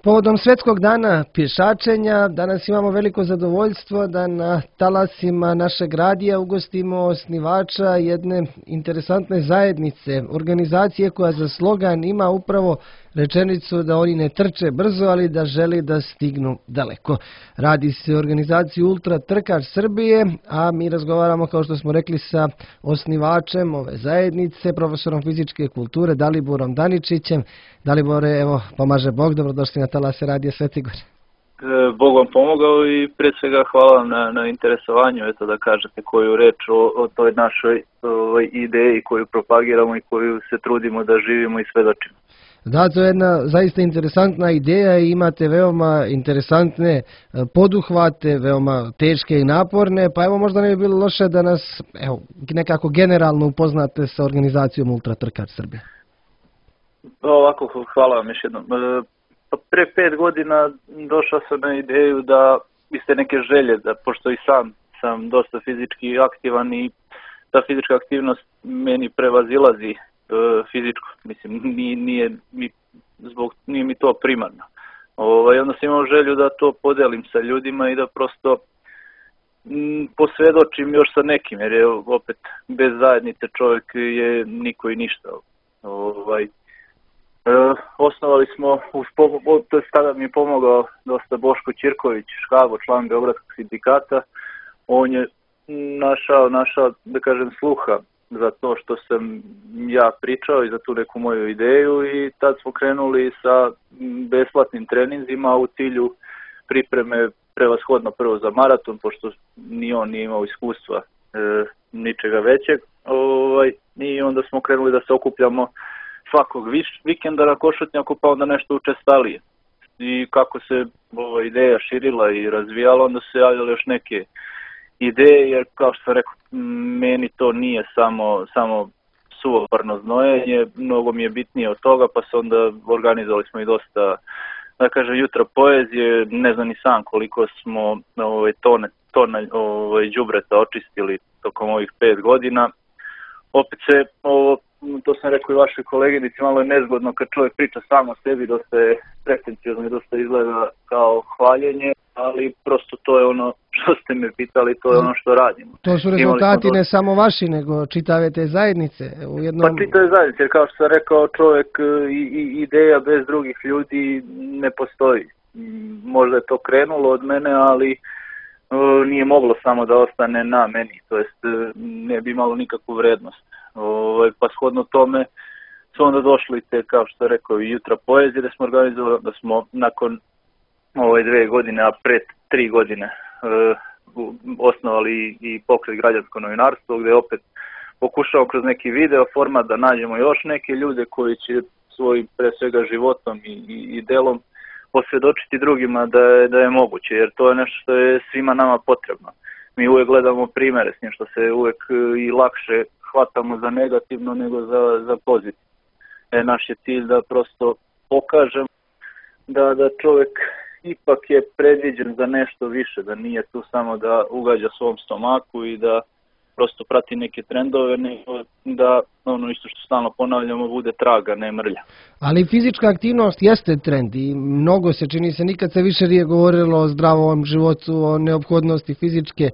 Povodom Svjetskog dana pješačenja danas imamo veliko zadovoljstvo da na talasima našeg radija ugostimo osnivača jedne interesantne zajednice, organizacije koja za slogan ima upravo rečenicu da oni ne trče brzo, ali da želi da stignu daleko. Radi se o organizaciji Ultra trkač Srbije, a mi razgovaramo, kao što smo rekli, sa osnivačem ove zajednice, profesorom fizičke kulture Daliborom Daničićem. Dalibore, evo, pomaže Bog, dobrodošli na talase radija Sveti Gor. Bog vam pomogao i prije svega hvala vam na interesovanju, eto da kažete koju reč o toj našoj ideji koju propagiramo i koju se trudimo da živimo i svedočimo. Da, to je jedna zaista interesantna ideja i imate veoma interesantne poduhvate, veoma teške i naporne, pa evo možda ne bi bilo loše da nas nekako generalno upoznate sa organizacijom Ultra trkač Srbije. Ovako, hvala vam još jednom. Pre 5 godina došao sam na ideju da iste neke želje, da pošto i sam dosta fizički aktivan i ta fizička aktivnost meni prevazilazi fizičko, mislim, nije mi to primarno. Onda sam imao želju da to podelim sa ljudima i da prosto posvjedočim još sa nekim, jer je opet bez zajednice čovjek je niko i ništa. Osnovali smo, tada mi je pomogao dosta Boško Ćirković, Škabo, član Beogradskog sindikata. On je našao, da kažem, sluha za to što sam ja pričao i za tu neku moju ideju i tad smo krenuli sa besplatnim treninzima u cilju pripreme prevashodno prvo za maraton, pošto ni on nije imao iskustva ničega većeg. I onda smo krenuli da se okupljamo svakog vikenda na Košutnjaku, pa onda nešto učestalije. I kako se ova ideja širila i razvijala, onda se javljale još neke ideje, jer kao što sam rekao, meni to nije samo suvoparno znojenje, mnogo mi je bitnije od toga, pa se onda organizovali smo i dosta, da kažem, jutra poezije, ne znam ni sam koliko smo tone đubreta očistili tokom ovih 5 godina. Opet se, to sam rekao i vašoj koleginici, malo je nezgodno kad čovjek priča sam o sebi, dosta je pretenciozno i dosta izgleda kao hvaljenje, ali prosto to je ono što ste me pitali, to je ono što radimo. To su rezultati ne samo vaši, nego čitave te zajednice. Pa čitave zajednice, jer kao što sam rekao, čovjek i ideja bez drugih ljudi ne postoji. Možda je to krenulo od mene, ali nije moglo samo da ostane na meni, to jest ne bi imalo nikakvu vrednost. Pa shodno tome su onda došli te, kao što rekao, i jutra poezije da smo organizovali, da smo nakon 2 godine, a pred 3 godine osnovali i pokret Građansko novinarstvo, gdje opet pokušao kroz neki video format da nađemo još neke ljude koji će svojim pre svega životom i delom posvjedočiti drugima da je moguće, jer to je nešto što je svima nama potrebno. Mi uvijek gledamo primjere s njim, što se uvijek i lakše hvatamo za negativno nego za pozitivno. Naš je cilj da prosto pokažem da čovjek ipak je predviđen za nešto više, da nije tu samo da ugađa svom stomaku i da prosto prati neke trendove, nego da ono isto što stalno ponavljamo bude traga, ne mrlja. Ali fizička aktivnost jeste trend i mnogo se čini se, nikad se više nije govorilo o zdravom životu, o neophodnosti fizičke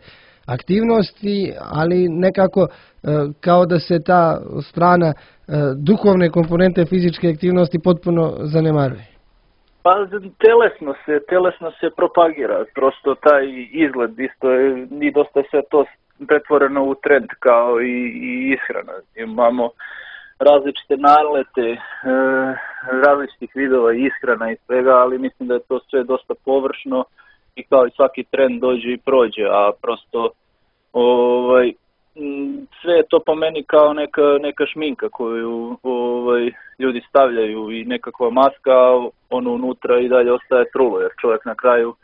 aktivnosti, ali nekako kao da se ta strana duhovne komponente fizičke aktivnosti potpuno zanemaruje. Pa telesno se propagira, prosto taj izgled isto je, i dosta je sve to pretvoreno u trend kao i ishrana. Imamo različite nalete, različitih vidova ishrana i svega, ali mislim da je to sve dosta površno i kao i svaki trend dođe i prođe, a prosto sve je to po meni kao neka šminka koju ljudi stavljaju i nekakva maska, ono unutra i dalje ostaje trulo, jer čovjek na kraju,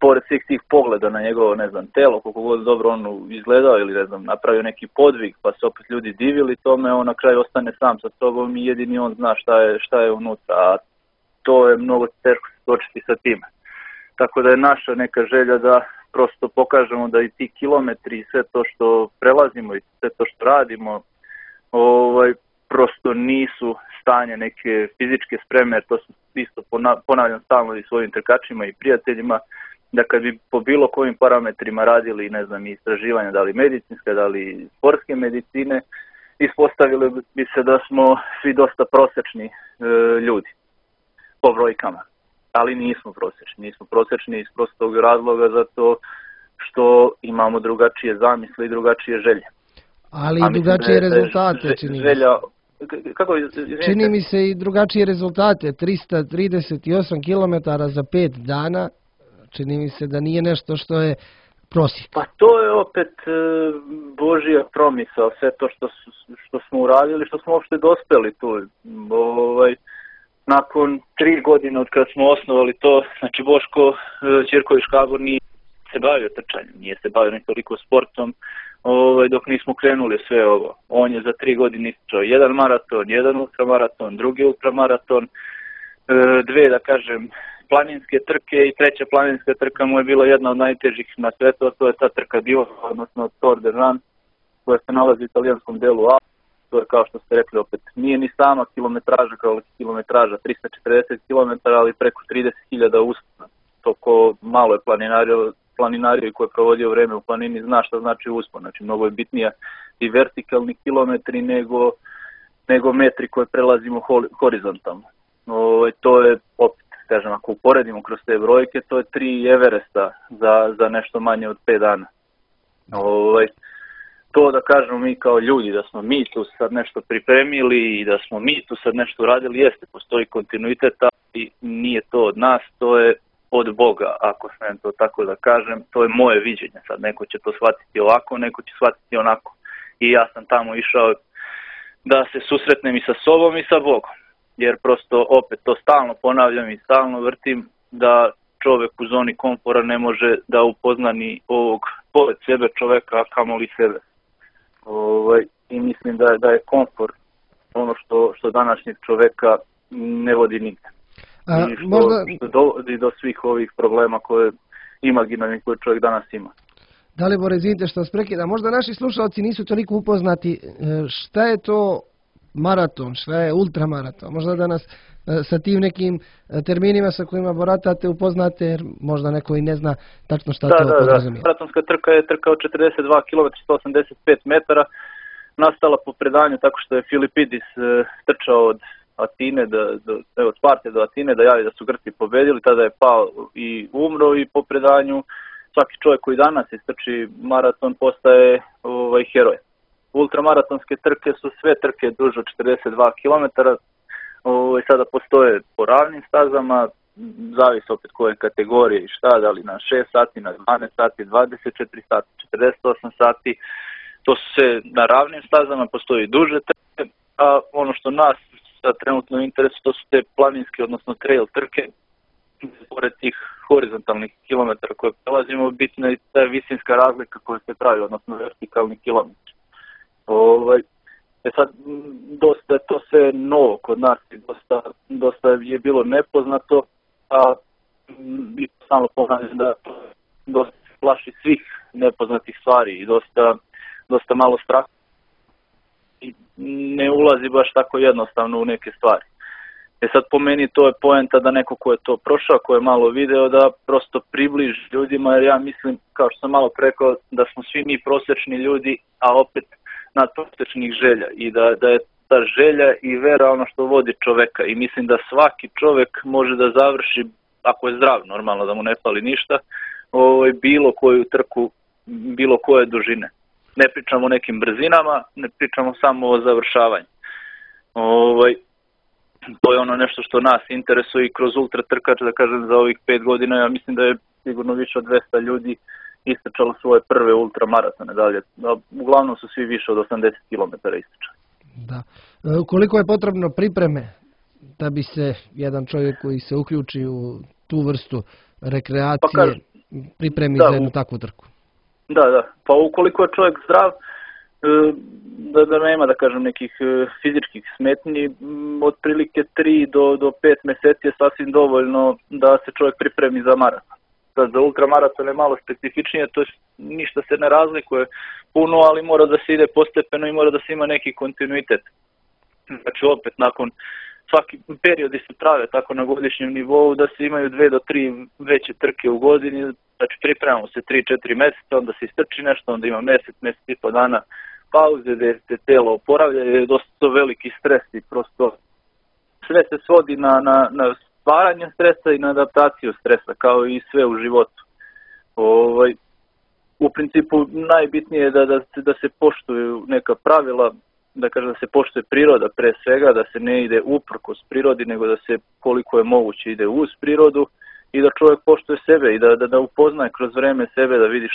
pored svih tih pogleda na njegovo, ne znam, telo, koliko god dobro on izgledao ili, ne znam, napravio neki podvig, pa se opet ljudi divili tome, on na kraju ostane sam sa sobom i jedini on zna šta je unutra, a to je mnogo teško se točiti sa time. Tako da je naša neka želja da prosto pokažemo da i ti kilometri i sve to što prelazimo i sve to što radimo prosto nisu stanje, neke fizičke spreme, to su isto ponavljam stalno i svojim trkačima i prijateljima, da kad bi po bilo kojim parametrima radili, ne znam, istraživanja, da li medicinske, da li sportske medicine, ispostavili bi se da smo svi dosta prosječni ljudi po brojkama. Ali nismo prosječni iz prostog razloga zato što imamo drugačije zamisle i drugačije želje. Ali i drugačije rezultate, čini mi se. Čini mi se i drugačije rezultate, 338 km za 5 dana, čini mi se da nije nešto što je prosjek. Pa to je opet Božja promisao, sve to što smo uradili, što smo uopšte dospeli tu. Nakon 3 godine od kada smo osnovali to, znači Boško Ćirković Škabor nije se bavio trčanjem, nije se bavio ni toliko sportom, dok nismo krenuli sve ovo. On je za 3 godine istrčao jedan maraton, jedan ultramaraton, drugi ultramaraton, 2, da kažem, planinske trke i 3. planinska trka mu je bila jedna od najtežih na svetu, a to je ta trka Divo, odnosno Tour de Jan, koja se nalazi u italijanskom delu Alpi. To je, kao što ste rekli, opet nije ni sama kilometraža kao kilometraža, 340 km, ali preko 30.000 uspona. To ko malo je planinario i ko je provodio vreme u planini zna šta znači uspon. Znači, mnogo je bitnija i vertikalni kilometri nego metri koje prelazimo horizontalno. To je, opet, kažem, ako uporedimo kroz te brojke, to je 3 Everesta za nešto manje od 5 dana. To da kažemo mi kao ljudi, da smo mi tu sad nešto pripremili i da smo mi tu sad nešto radili, jeste, postoji kontinuitet, ali nije to od nas, to je od Boga, ako smijem to tako da kažem, to je moje viđenje. Sad neko će to shvatiti ovako, neko će shvatiti onako. I ja sam tamo išao da se susretnem i sa sobom i sa Bogom, jer prosto opet to stalno ponavljam i stalno vrtim da čovjek u zoni komfora ne može da upozna ni ovog pored sebe čovjeka, a kamoli sebe. I mislim da je komfort ono što današnjeg čovjeka ne vodi nigde. I što dovodi do svih ovih problema koje imaginarnih koje čovjek danas ima. Dalibor, izvinite što vas prekidam. Možda naši slušalci nisu toliko upoznati šta je to maraton, šta je ultramaraton. Možda da nas sa tim nekim terminima sa kojima baratate upoznate, jer možda neko i ne zna tačno šta to podrazumijeva. Maratonska trka je trka od 42 km 185 metara, nastala po predanju tako što je Filipidis trčao od Atine, od Sparte do Atine da javi da su Grci pobedili, tada je pao i umro i po predanju svaki čovjek koji danas istrči maraton postaje heroj. Ultramaratonske trke su sve trke duže od 42 km, sada postoje po ravnim stazama, zavisi opet koje kategorije i šta, da li na 6 sati, na 12 sati, 24 sati, 48 sati, to su sve na ravnim stazama, postoji duže trke, a ono što nas trenutno interesuje, to su te planinske, odnosno trail trke, pored tih horizontalnih kilometara koje prelazimo, bitna je ta visinska razlika koja se pravi, odnosno vertikalni kilometri. Sad, dosta je to sve novo kod nas i dosta je bilo nepoznato, a samo ponavljam da dosta se plaši svih nepoznatih stvari i dosta malo straha i ne ulazi baš tako jednostavno u neke stvari. Sad po meni to je poenta da neko ko je to prošao, ko je malo video, da prosto približi ljudima, jer ja mislim, kao što sam malo rekao, da smo svi mi prosječni ljudi, a opet nadprosječnih želja i da je ta želja i vera ono što vodi čoveka i mislim da svaki čovek može da završi, ako je zdrav, normalno da mu ne fali ništa, bilo koju trku, bilo koje dužine. Ne pričamo o nekim brzinama, ne pričamo samo o završavanju. To je ono nešto što nas interesuje i kroz ultra trkač, da kažem, za ovih 5 godina, ja mislim da je sigurno više od 200 ljudi istrčalo svoje prve ultramaratone dalje. Uglavnom su svi više od 80 km istrčali. Da. Koliko je potrebno pripreme da bi se jedan čovjek koji se uključi u tu vrstu rekreacije pripremi za jednu takvu trku? Da. Pa ukoliko je čovjek zdrav, da nema, da kažem, nekih fizičkih smetnji, otprilike 3 do 5 mjeseci je sasvim dovoljno da se čovjek pripremi za maraton. Sad za ultramaraton je malo specifičnije, to ništa se ne razlikuje puno, ali mora da se ide postepeno i mora da se ima neki kontinuitet. Znači opet nakon svaki periodi se prave tako na godišnjem nivou da se imaju 2 do 3 veće trke u godini, znači pripremamo se 3-4 mjeseca, onda se istrči nešto, onda ima mjesec i po dana pauze gdje se telo oporavlja, je dosta veliki stres i prosto sve se svodi na stvaranje stresa i na adaptaciju stresa, kao i sve u životu. U principu najbitnije je da se poštuju neka pravila, da kažem da se poštuje priroda pre svega, da se ne ide uprkos prirodi, nego da se koliko je moguće ide uz prirodu i da čovjek poštuje sebe i da upoznaje kroz vreme sebe, da vidi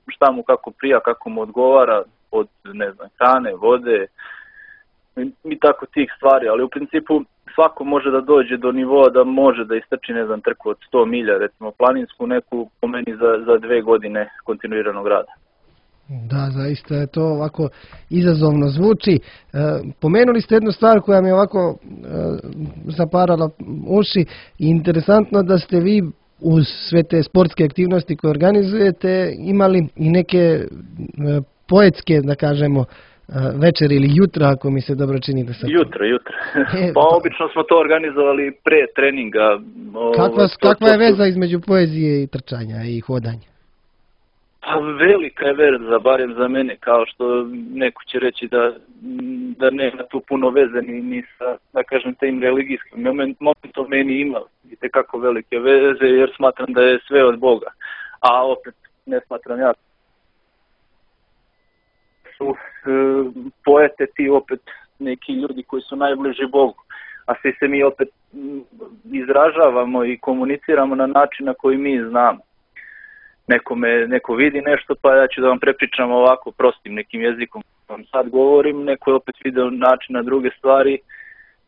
šta mu kako prija, kako mu odgovara od hrane, vode i tako tih stvari, ali u principu svako može da dođe do nivoa da može da istrči trku od 100 milja, recimo planinsku neku po meni za 2 godine kontinuiranog rada. Da, zaista je to ovako izazovno zvuči. Pomenuli ste jednu stvar koja mi je ovako zaparala uši i interesantno da ste vi uz sve te sportske aktivnosti koje organizujete imali i neke poetske, da kažemo, večer ili jutra, ako mi se dobro čini da sam... Jutra. Pa obično smo to organizovali pre treninga. Kakva je veza između poezije i trčanja i hodanja? Pa velika je veza, barem za mene, kao što neko će reći da nema tu puno veze ni sa, da kažem, tim religijskim momentom, meni ima itekako velike veze jer smatram da je sve od Boga. A opet ne smatram ja su poete ti opet neki ljudi koji su najbliži Bogu, a svi se mi opet izražavamo i komuniciramo na način na koji mi znamo. Neko vidi nešto, pa ja ću da vam prepričam ovako prostim nekim jezikom vam sad govorim, neko je opet video način na druge stvari,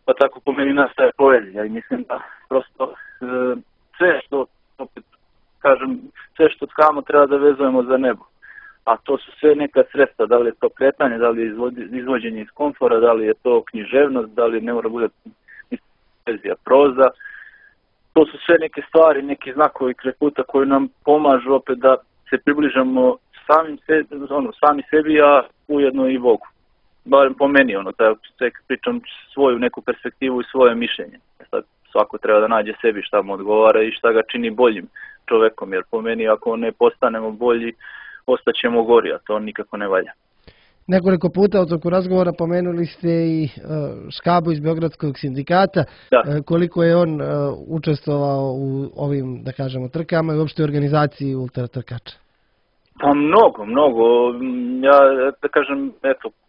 pa tako po meni nastaje poezija i mislim da prosto sve što, opet kažem, sve što tkamo treba da vezujemo za nebo. A to su sve neka sredstva, da li je to kretanje, da li je izvođenje iz komfora, da li je to književnost, da li ne mora bude poezija, proza. To su sve neke stvari, neki znakovi kraj puta koji nam pomažu opet da se približamo sami sebi, a ujedno i Bogu. Barem po meni, da pričam svoju neku perspektivu i svoje mišljenje. Sad svako treba da nađe sebi šta mu odgovara i šta ga čini boljim čovekom, jer po meni ako ne postanemo bolji, ostaćemo gori, a to nikako ne valja. Nekoliko puta u toku razgovora pomenuli ste i Škabu iz Beogradskog sindikata. Da. Koliko je on učestvovao u ovim, da kažemo, trkama i uopšte organizaciji ultratrkača? Pa mnogo. Ja, da kažem,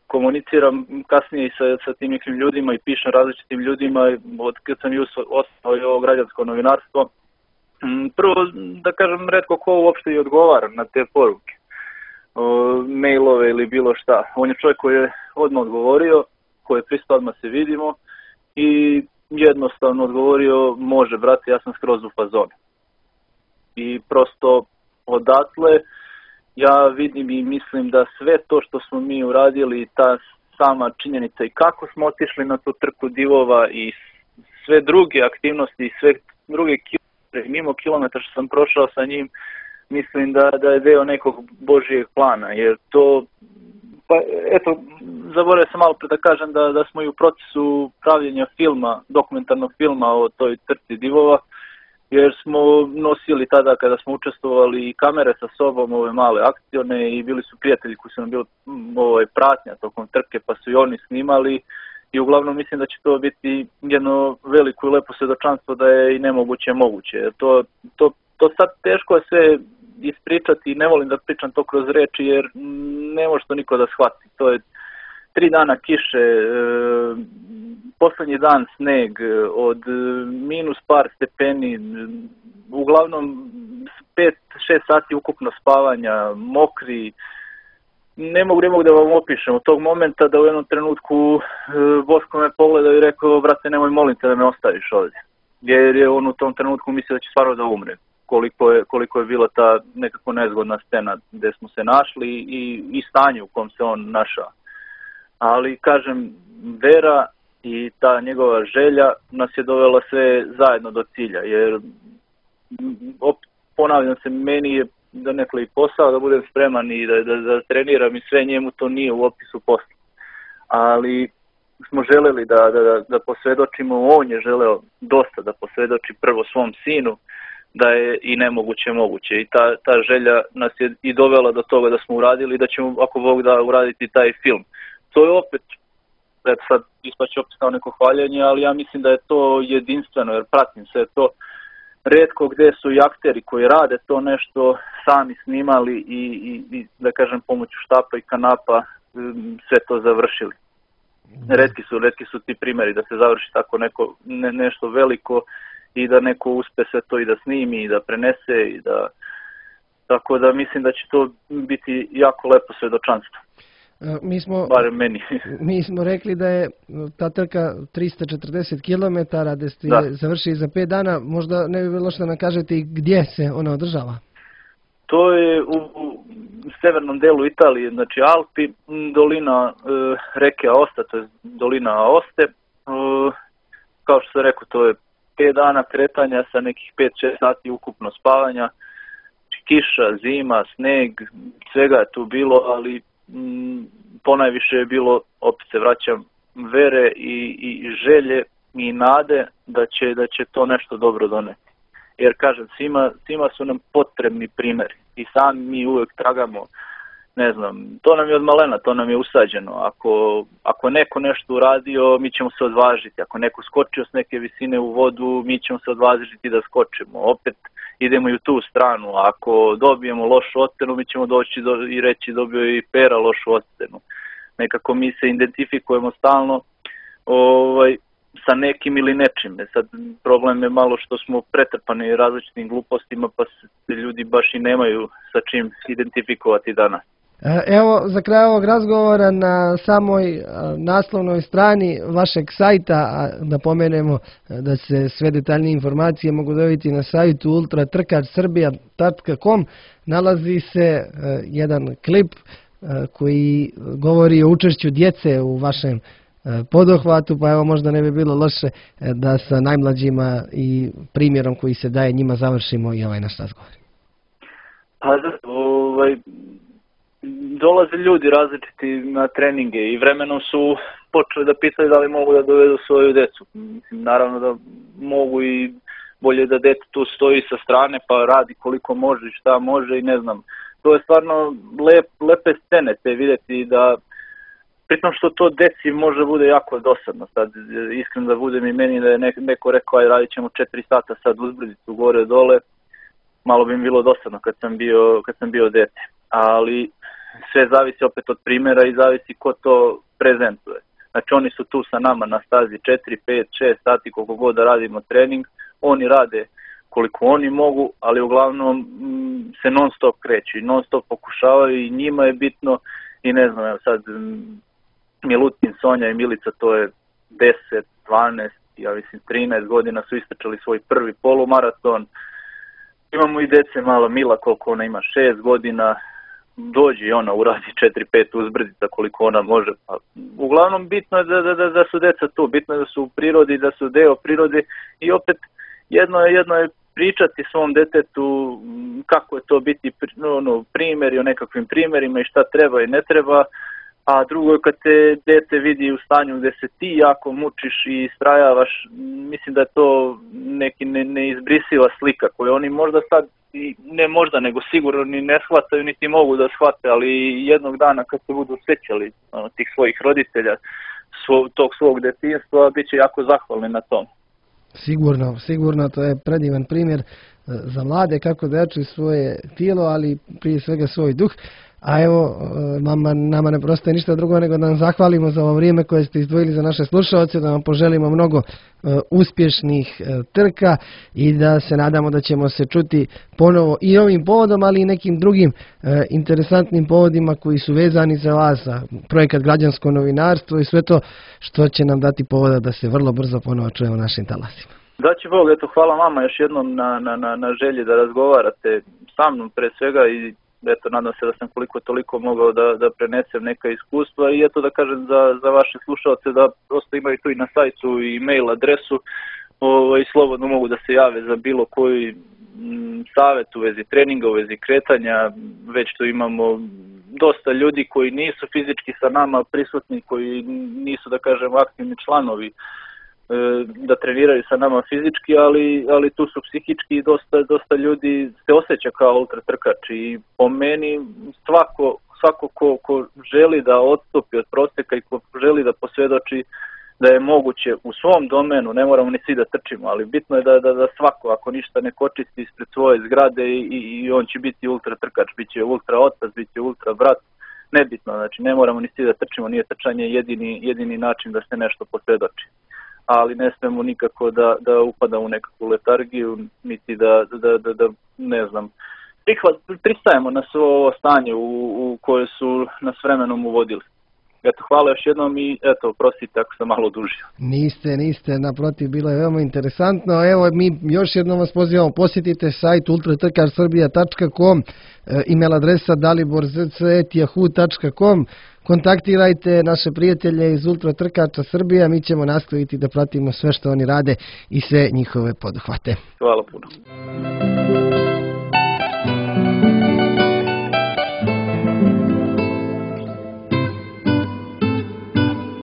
komuniciram kasnije i sa tim nekim ljudima i pišem različitim ljudima od kad sam ostao i ovo građansko novinarstvo. Prvo, da kažem, retko ko uopšte i odgovara na te poruke, mailove ili bilo šta. On je čovjek koji je odmah odgovorio, koji je pristao odmah se vidimo i jednostavno odgovorio, može brate, ja sam skroz u fazonu. I prosto odatle ja vidim i mislim da sve to što smo mi uradili, ta sama činjenica i kako smo otišli na tu trku divova i sve druge aktivnosti i sve druge kilometre, mimo kilometra što sam prošao sa njim, mislim da je deo nekog Božijeg plana, jer to, pa eto, zaboravio sam malo pre da kažem da smo i u procesu pravljenja filma, dokumentarnog filma o toj trci divova, jer smo nosili tada kada smo učestvovali i kamere sa sobom, ove male akcione i bili su prijatelji koji su nam bili pratnja tokom trke pa su i oni snimali i uglavnom mislim da će to biti jedno veliko i lepo svedočanstvo da je i nemoguće moguće. To sad teško je sve ispričati i ne volim da pričam to kroz reči jer ne može to niko da shvati. To je 3 dana kiše, poslednji dan sneg, od minus par stepeni, uglavnom 5-6 sati ukupno spavanja, mokri. Ne mogu da vam opišem od tog momenta da u jednom trenutku Boško me pogledao i rekao, brate, nemoj molim te da me ostaviš ovdje. Jer je on u tom trenutku mislio da će stvarno da umre. Koliko je bila ta nekako nezgodna scena gde smo se našli i stanje u kom se on našao. Ali, kažem, vera i ta njegova želja nas je dovela sve zajedno do cilja, jer ponavljam se, meni je donekle i posao da budem spreman i da treniram i sve, njemu to nije u opisu posla. Ali smo želeli da posvjedočimo, on je želeo dosta da posvjedoči prvo svom sinu, da je i nemoguće moguće. I ta želja nas je i dovela do toga da smo uradili i da ćemo, ako Bog da, uraditi taj film. To je opet, sad ispaće opet kao neko hvaljenje, ali ja mislim da je to jedinstveno, jer pratim sve to. Rijetko gdje su i akteri koji rade to nešto sami snimali i da kažem pomoću štapa i kanapa sve to završili. Retki su ti primjeri da se završi tako nešto veliko i da neko uspe sve to i da snimi i da prenese i da, tako da mislim da će to biti jako lepo svjedočanstvo. Barem meni. Mi smo rekli da je ta trka 340 km, da ste završili za 5 dana. Možda ne bi bilo što nam kažete i gdje se ona održava? To je u severnom delu Italije, znači Alpi, dolina reke Aosta, to je dolina Aoste. Kao što sam rekao, to je 5 dana kretanja sa nekih 5-6 sati ukupno spavanja. Kiša, zima, sneg, svega je tu bilo, ali ponajviše je bilo, opet se vraćam, vere i želje i nade da će to nešto dobro doneti. Jer kažem, svima su nam potrebni primjeri i sami mi uvijek tragamo, ne znam, to nam je od malena, to nam je usađeno. Ako neko nešto uradio, mi ćemo se odvažiti. Ako neko skočio s neke visine u vodu, mi ćemo se odvažiti da skočimo. Opet idemo i u tu stranu. Ako dobijemo lošu ocjenu, mi ćemo doći i reći dobio je i Pera lošu ocjenu. Nekako mi se identifikujemo stalno sa nekim ili nečim. Sad problem je malo što smo pretrpani različitim glupostima, pa se ljudi baš i nemaju sa čim identifikovati danas. Evo, za kraj ovog razgovora na samoj naslovnoj strani vašeg sajta, da pomenemo da se sve detaljnije informacije mogu dobiti na sajtu ultratrkarsrbija.com, nalazi se jedan klip koji govori o učešću djece u vašem poduhvatu, pa evo možda ne bi bilo loše da sa najmlađima i primjerom koji se daje njima završimo i ovaj naš razgovor. Dolaze ljudi različiti na treninge i vremenom su počeli da pitaju da li mogu da dovedu svoju decu. Naravno da mogu i bolje da dete tu stoji sa strane pa radi koliko može i šta može i ne znam. To je stvarno lepe scene te vidjeti da pritom što to deci može bude jako dosadno. Sad iskreno da budem i meni da je neko rekao aj radit ćemo 4 sata sad uzbrdicu gore dole, malo bi mi bilo dosadno kad sam bio dete. Ali sve zavisi opet od primjera i zavisi ko to prezentuje. Znači oni su tu sa nama na stazi 4, 5, 6 sati koliko god da radimo trening, oni rade koliko oni mogu, ali uglavnom se non stop kreću i non stop pokušavaju i njima je bitno i ne znam, evo sad Milutin, Sonja i Milica, to je 10, 12, ja mislim 13 godina su istrčali svoj prvi polumaraton. Imamo i dece malo, Mila koliko ona ima 6 godina, dođi i ona uradi 4-5 uzbrdica koliko ona može. Pa, uglavnom bitno je da su deca tu, bitno je da su u prirodi, da su deo prirode i opet jedno je pričati svom detetu kako je to biti primjeri o nekakvim primjerima i šta treba i ne treba, a drugo je kad te dete vidi u stanju gdje se ti jako mučiš i istrajavaš, mislim da je to neki neizbrisiva slika koju oni možda sad, ne možda nego sigurno ni ne shvataju niti mogu da shvate, ali jednog dana kad se budu sjećali tih svojih roditelja, tog svog djetinjstva, bit će jako zahvalni na tom. Sigurno, to je predivan primjer za mlade kako da jačaju svoje tijelo, ali prije svega svoj duh. A evo, nama ne prostaje ništa drugo nego da vam zahvalimo za ovo vrijeme koje ste izdvojili za naše slušalce, da vam poželimo mnogo uspješnih trka i da se nadamo da ćemo se čuti ponovo i ovim povodom, ali i nekim drugim interesantnim povodima koji su vezani za vas, za projekat Građansko novinarstvo i sve to što će nam dati povoda da se vrlo brzo ponovo čujemo našim talasima. Daći Bog, eto, hvala vama još jednom na želji da razgovarate sa mnom pre svega i eto, nadam se da sam koliko toliko mogao da prenesem neka iskustva i eto da kažem za vaše slušalce da prosto imaju tu i na sajtu i mail adresu i slobodno mogu da se jave za bilo koji savjet u vezi treninga, u vezi kretanja, već tu imamo dosta ljudi koji nisu fizički sa nama prisutni, koji nisu, da kažem, aktivni članovi da treniraju sa nama fizički, ali tu su psihički i dosta ljudi se osjeća kao ultra trkač i po meni svako ko želi da odstupi od prosjeka i ko želi da posvjedoči da je moguće u svom domenu, ne moramo ni svi da trčimo, ali bitno je da svako, ako ništa ne kočisti ispred svoje zgrade i on će biti ultra trkač, bit će ultra otac, bit će ultra brat, nebitno, znači ne moramo ni svi da trčimo, nije trčanje jedini način da se nešto posvjedoči. Ali ne smemo nikako da upada u nekakvu letargiju, niti da ne znam, pristajemo na svo ovo stanje u koje su nas vremenom uvodili. Eto, hvala još jednom i eto, prostite ako sam malo odužio. Niste, naprotiv, bilo je veoma interesantno. Evo, mi još jednom vas pozivamo, posjetite sajt ultratrkarsrbija.com, email adresa daliborzc@yahoo.com, kontaktirajte naše prijatelje iz Ultra Trkača Srbija, mi ćemo nastaviti da pratimo sve što oni rade i sve njihove poduhvate. Hvala puno.